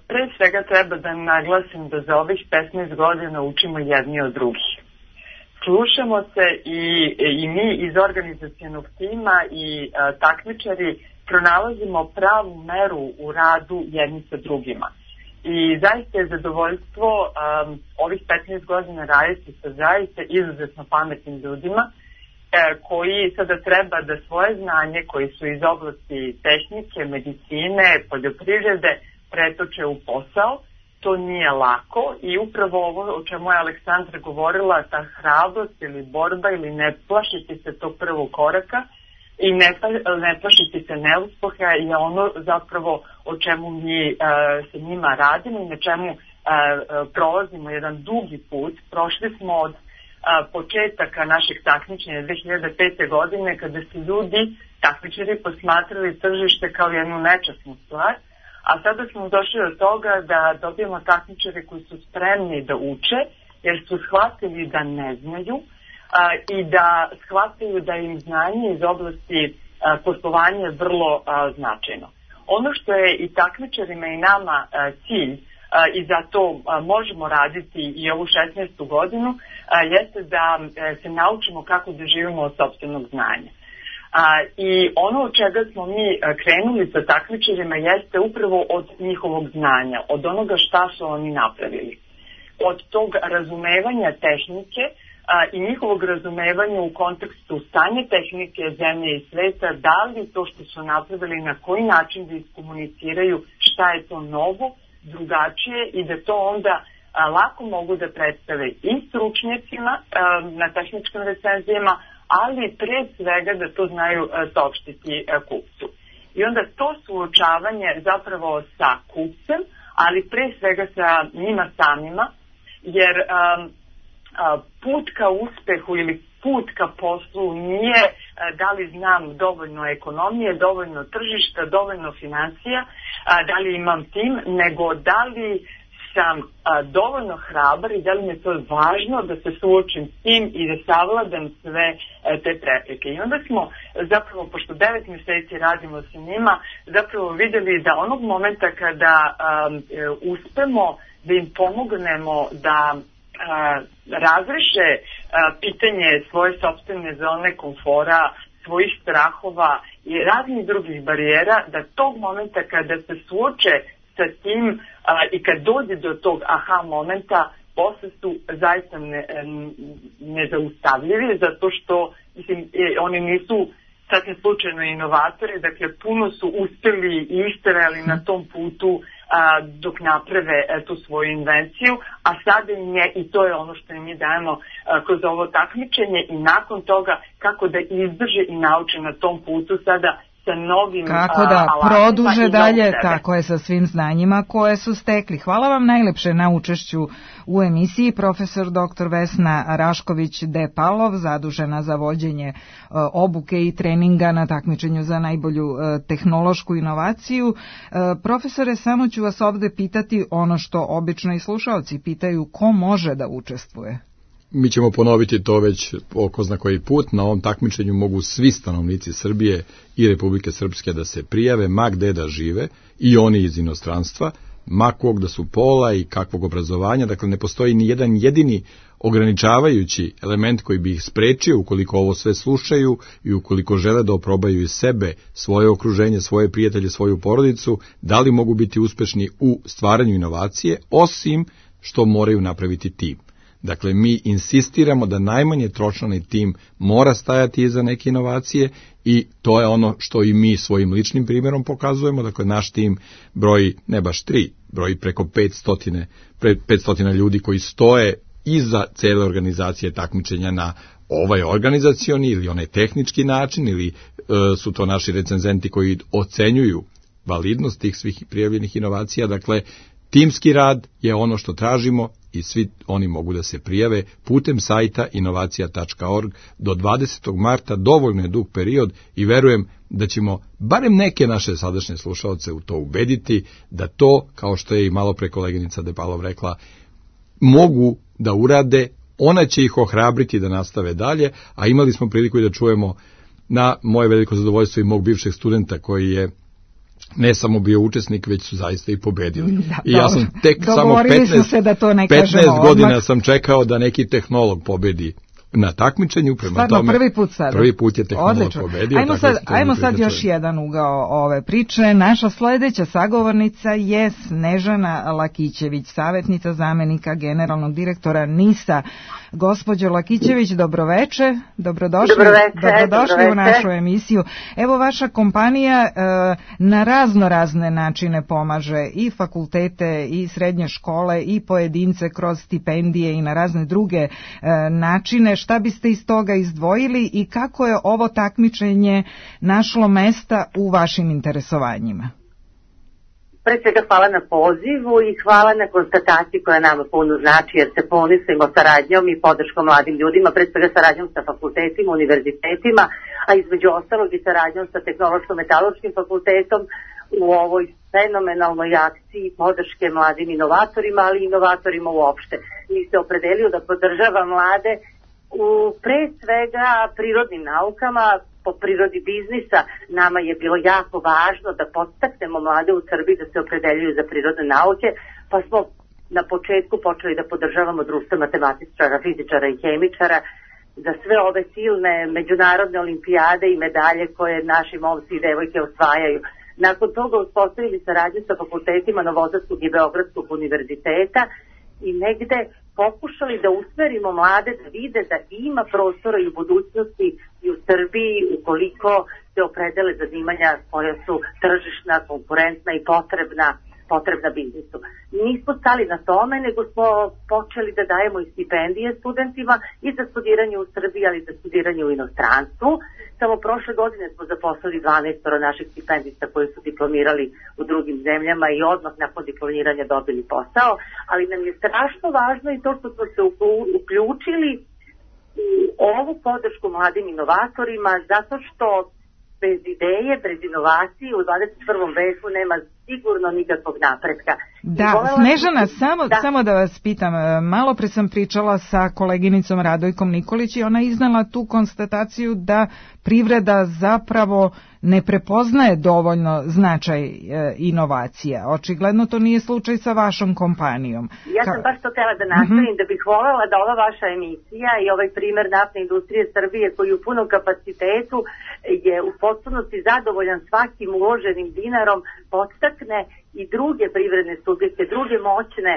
pre svega treba da naglasim da za ovih petnaest godina učimo jedni od drugih. Slušamo se i, i mi iz organizacionog tima i a, takmičari pronalazimo pravu meru u radu jedni sa drugima. I zaista je zadovoljstvo um, ovih petnaest godina raditi sa zaista izuzetno pametnim ljudima e, koji sada treba da svoje znanje koji su iz oblasti tehnike, medicine, poljoprivrede pretoče u posao. To nije lako i upravo ovo o čemu je Aleksandra govorila, ta hrabrost ili borba ili ne plašiti se tog prvog koraka i ne, ne plašiti se neuspeha je ono zapravo o čemu mi uh, sa njima radimo i na čemu uh, prolazimo jedan dugi put. Prošli smo od uh, početaka našeg takmičenja dve hiljade pete. godine kada su ljudi, takmičari, posmatrali tržište kao jednu nečasnu stvar, a sada smo došli do toga da dobijemo takmičare koji su spremni da uče jer su shvatili da ne znaju A, i da shvataju da im znanje iz oblasti a, poslovanja je vrlo a, značajno. Ono što je i takmičarima i nama a, cilj a, i zato a, možemo raditi i ovu šesnaestu godinu a, jeste da a, se naučimo kako da živimo od sopstvenog znanja. A, I ono od čega smo mi a, krenuli sa takmičarima jeste upravo od njihovog znanja, od onoga šta su oni napravili. Od tog razumevanja tehnike A, i njihovog razumevanja u kontekstu stanja tehnike zemlje i sveta, da li to što su napravili, na koji način da iskomuniciraju šta je to novo, drugačije i da to onda a, lako mogu da predstave i stručnjacima a, na tehničkim recenzijama, ali pre svega da to znaju a, saopštiti a, kupcu. I onda to suočavanje zapravo sa kupcem, ali pre svega sa njima samima, jer a, put ka uspehu ili put ka poslu nije da li znam dovoljno ekonomije, dovoljno tržišta, dovoljno financija, da li imam tim, nego da li sam dovoljno hrabar i da li mi je to važno da se suočim s tim i da savladam sve te prepreke. I onda smo zapravo, pošto devet mjeseci radimo sa njima, zapravo vidjeli da onog momenta kada um, uspemo da im pomognemo da A, razreše a, pitanje svoje sopstvene zone komfora, svojih strahova i raznih drugih barijera, da tog momenta kada se suoče sa tim a, i kad dođe do tog aha momenta, posle su zaista ne, nezaustavljivi, zato što mislim, oni nisu sasvim slučajno inovatori, dakle puno su uspeli i istrajali na tom putu a, dok naprave a, tu svoju invenciju, a sada im je, i to je ono što im mi dajemo a, kroz ovo takmičenje, i nakon toga kako da izdrže i nauče na tom putu sada sa novim kako da produže dalje, tako je, sa svim znanjima koje su stekli. Hvala vam najlepše na učešću u emisiji. Profesor doktor Vesna Rašković-Depalov, zadužena za vođenje obuke i treninga na takmičenju za najbolju tehnološku inovaciju. Profesore, samo ću vas ovde pitati ono što obično i slušaoci pitaju, ko može da učestvuje? Mi ćemo ponoviti to već oko zna koji put. Na ovom takmičenju mogu svi stanovnici Srbije i Republike Srpske da se prijave, ma gde da žive, i oni iz inostranstva, ma kog da su pola i kakvog obrazovanja. Dakle, ne postoji ni jedan jedini ograničavajući element koji bi ih sprečio ukoliko ovo sve slušaju i ukoliko žele da oprobaju iz sebe, svoje okruženje, svoje prijatelje, svoju porodicu, da li mogu biti uspešni u stvaranju inovacije, osim što moraju napraviti tim. Dakle, mi insistiramo da najmanje tročlani tim mora stajati iza neke inovacije, i to je ono što i mi svojim ličnim primjerom pokazujemo. Dakle, naš tim broji ne baš tri, broji preko petsto ljudi koji stoje iza cele organizacije takmičenja na ovaj organizacioni ili onaj tehnički način, ili e, su to naši recenzenti koji ocenjuju validnost tih svih prijavljenih inovacija. Dakle, timski rad je ono što tražimo i svi oni mogu da se prijave putem sajta inovacija tačka org do dvadesetog marta, dovoljno je dug period, i verujem da ćemo barem neke naše sadašnje slušalce u to ubediti da to, kao što je i malo pre koleginica Depalov rekla, mogu da urade. Ona će ih ohrabriti da nastave dalje, a imali smo priliku i da čujemo, na moje veliko zadovoljstvo, i mog bivšeg studenta koji je ne samo bio učesnik, već su zaista i pobedili. Da, I ja sam tek samo petnaest, se da to ne petnaest godina sam čekao da neki tehnolog pobedi na takmičenju, prema Stvarno, tome prvi put sada. Prvi put je tehnolog Odlično. pobedio. Ajmo sad, ajmo sad još jedan ugao ove priče. Naša sledeća sagovornica je Snežana Lakićević, savjetnica zamenika generalnog direktora NIS-a. Gospođo Lakićević, dobroveče, dobrodošli, dobroveče, dobrodošli dobroveče. u našu emisiju. Evo, vaša kompanija e, na razno razne načine pomaže i fakultete i srednje škole i pojedince kroz stipendije i na razne druge e, načine. Šta biste iz toga izdvojili i kako je ovo takmičenje našlo mesta u vašim interesovanjima? Pre svega hvala na pozivu i hvala na konstataciji koja nama puno znači, jer se ponosimo saradnjom i podrškom mladim ljudima, pre svega saradnjom sa fakultetima, univerzitetima, a između ostalog i saradnjom sa Tehnološko-metaloškim fakultetom u ovoj fenomenalnoj akciji podrške mladim inovatorima, ali i inovatorima uopšte. Mi se opredelio da podržava mlade u pre svega prirodnim naukama. Po prirodi biznisa nama je bilo jako važno da podstaknemo mlade u Srbiji da se opredeljuju za prirodne nauke, pa smo na početku počeli da podržavamo društvo matematičara, fizičara i hemičara za sve ove silne međunarodne olimpijade i medalje koje naši momci i devojke osvajaju. Nakon toga uspostavili saradnju sa fakultetima Novosadskog i Beogradskog univerziteta i negde pokušali da usmerimo mlade da vide da ima prostora i u budućnosti i u Srbiji ukoliko se opredele zanimanja koja su tržišna, konkurentna i potrebna, potrebna biznisu. Nismo stali na tome, nego smo počeli da dajemo i stipendije studentima i za studiranje u Srbiji, ali i za studiranje u inostranstvu. Samo prošle godine smo zaposlili dvanaest naših stipendista koji su diplomirali u drugim zemljama i odmah nakon diplomiranja dobili posao, ali nam je strašno važno i to što smo se uključili u ovu podršku mladim inovatorima, zato što bez ideje, bez inovacije u dvadeset prvom veku nema sigurno nikakvog napretka. Da, Snežana, samo da. samo da vas pitam, malo pre sam pričala sa koleginicom Radojkom Nikolić i ona iznala tu konstataciju da privreda zapravo ne prepoznaje dovoljno značaj e, inovacija. Očigledno to nije slučaj sa vašom kompanijom. Ja sam Ka... baš to htjela da nastavim, mm-hmm. da bih voljela da ova vaša emisija i ovaj primer naftne industrije Srbije koji u punom kapacitetu je u potpunosti zadovoljan svakim uloženim dinarom, podstakne i druge privredne subjekte, druge moćne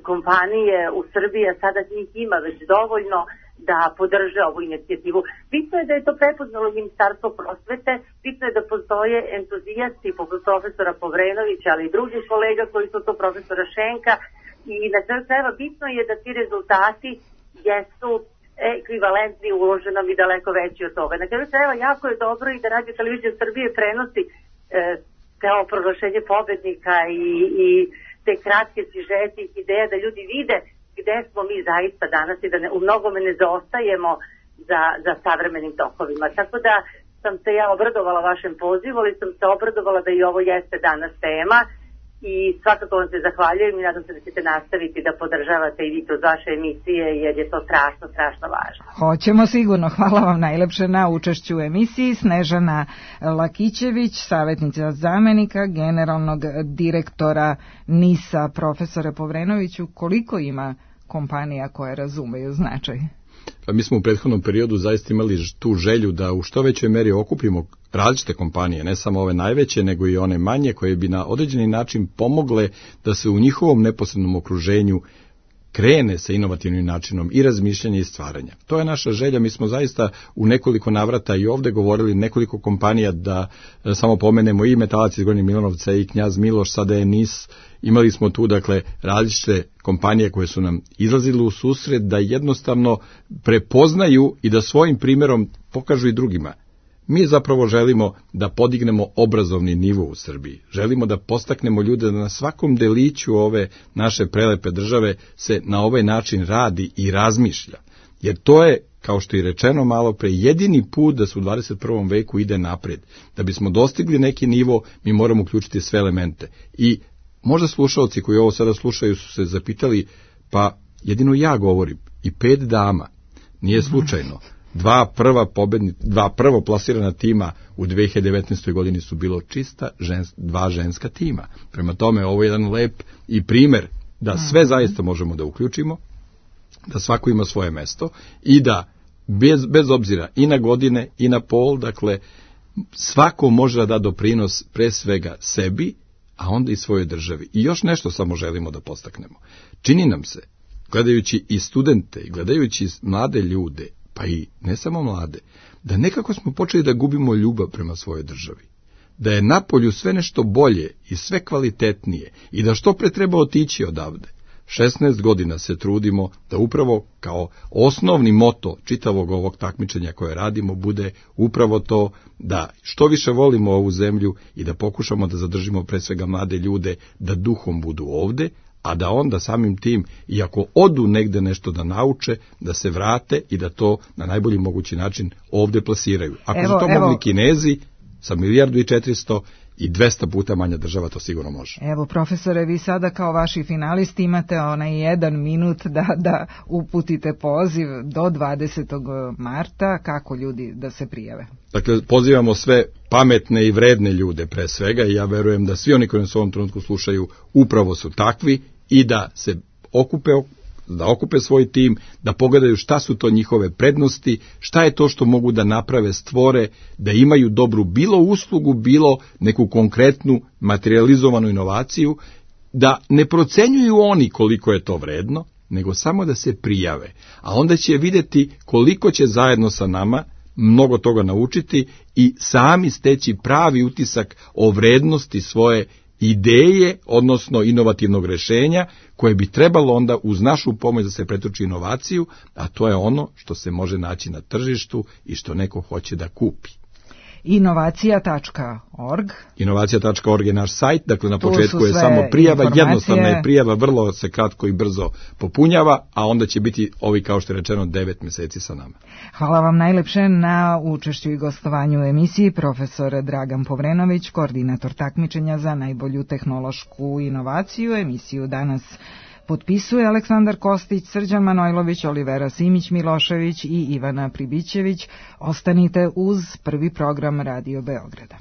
kompanije u Srbiji, a sada njih ima već dovoljno, da podrže ovu inicijativu. Bitno je da je to prepoznalo Ministarstvo prosvete, bitno je da postoje entuzijasti poput profesora Povrenovića, ali i drugih kolega koji su to, profesora Šenka, i na kraju krajeva bitno je da ti rezultati jesu ekvivalentni uloženom i daleko veći od toga. Na kraju krajeva jako je dobro i da Radio Televizija Srbije prenosi e, kao proglašenje pobednika i, i te kratke sižete i ideje da ljudi vide gde smo mi zaista danas i da ne, u mnogome ne zaostajemo za, za savremenim tokovima. Tako da sam se ja obradovala vašem pozivu, ali sam se obradovala da i ovo jeste danas tema i svakako vam se zahvaljujem i nadam se da ćete nastaviti da podržavate i vi kroz vaše emisije jer je to strašno, strašno važno. Hoćemo sigurno. Hvala vam najlepše na učešću u emisiji. Snežana Lakićević, savjetnica zamenika generalnog direktora NIS-a. Profesore Povrenoviću, koliko ima kompanija koje razumeju značaj? Pa mi smo u prethodnom periodu zaista imali tu želju da u što većoj meri okupimo različite kompanije, ne samo ove najveće, nego i one manje koje bi na određeni način pomogle da se u njihovom neposrednom okruženju krene sa inovativnim načinom i razmišljanja i stvaranja. To je naša želja, mi smo zaista u nekoliko navrata i ovde govorili nekoliko kompanija, da e, samo pomenemo i Metalac iz Gornjeg Milanovca i Knjaz Miloš, sada je NIS, imali smo tu dakle različite kompanije koje su nam izlazile u susret da jednostavno prepoznaju i da svojim primjerom pokažu i drugima. Mi zapravo želimo da podignemo obrazovni nivo u Srbiji. Želimo da postaknemo ljude da na svakom deliću ove naše prelepe države se na ovaj način radi i razmišlja. Jer to je, kao što je rečeno malo pre, jedini put da se u dvadeset prvom veku ide napred. Da bismo dostigli neki nivo, mi moramo uključiti sve elemente. I možda slušalci koji ovo sada slušaju su se zapitali, pa jedino ja govorim i pet dama, nije slučajno. Dva prva pobedni, dva prvo plasirana tima u dve hiljade devetnaestoj godini su bilo čista žens, dva ženska tima. Prema tome, ovo je jedan lep i primer da sve zaista možemo da uključimo, da svako ima svoje mesto i da bez, bez obzira i na godine i na pol, dakle, svako može da da doprinos pre svega sebi, a onda i svojoj državi. I još nešto samo želimo da postaknemo. Čini nam se, gledajući i studente, i gledajući mlade ljude, pa i ne samo mlade, da nekako smo počeli da gubimo ljubav prema svojoj državi. Da je napolju sve nešto bolje i sve kvalitetnije i da što pre treba otići odavde. šesnaest godina se trudimo da upravo kao osnovni moto čitavog ovog takmičenja koje radimo bude upravo to da što više volimo ovu zemlju i da pokušamo da zadržimo pre svega mlade ljude da duhom budu ovde, a da onda samim tim, iako odu negde nešto da nauče, da se vrate i da to na najbolji mogući način ovde plasiraju. Ako evo, su to evo. mogli Kinezi sa milijardu i četiristo i dvesta puta manja država, to sigurno može. Evo, profesore, vi sada kao vaši finalisti imate onaj jedan minut da, da uputite poziv do dvadesetog marta, kako ljudi da se prijave. Dakle, pozivamo sve pametne i vredne ljude pre svega i ja verujem da svi oni koji nas u ovom trenutku slušaju upravo su takvi i da se okupe, da okupe svoj tim, da pogledaju šta su to njihove prednosti, šta je to što mogu da naprave, stvore, da imaju dobru bilo uslugu, bilo neku konkretnu materializovanu inovaciju, da ne procenjuju oni koliko je to vredno, nego samo da se prijave. A onda će videti koliko će zajedno sa nama mnogo toga naučiti i sami steći pravi utisak o vrednosti svoje ideje, odnosno inovativnog rešenja, koje bi trebalo onda uz našu pomoć da se pretoči inovaciju, a to je ono što se može naći na tržištu i što neko hoće da kupi. inovacija tačka org inovacija tačka org je naš sajt, dakle na početku je samo prijava, jednostavna je prijava, vrlo se kratko i brzo popunjava, a onda će biti ovi, kao što je rečeno, devet meseci sa nama. Hvala vam najlepše na učešću i gostovanju u emisiji, profesor Dragan Povrenović, koordinator takmičenja za najbolju tehnološku inovaciju. Emisiju danas potpisuje Aleksandar Kostić, Srđan Manojlović, Olivera Simić Milošević i Ivana Pribićević. Ostanite uz prvi program Radio Beograda.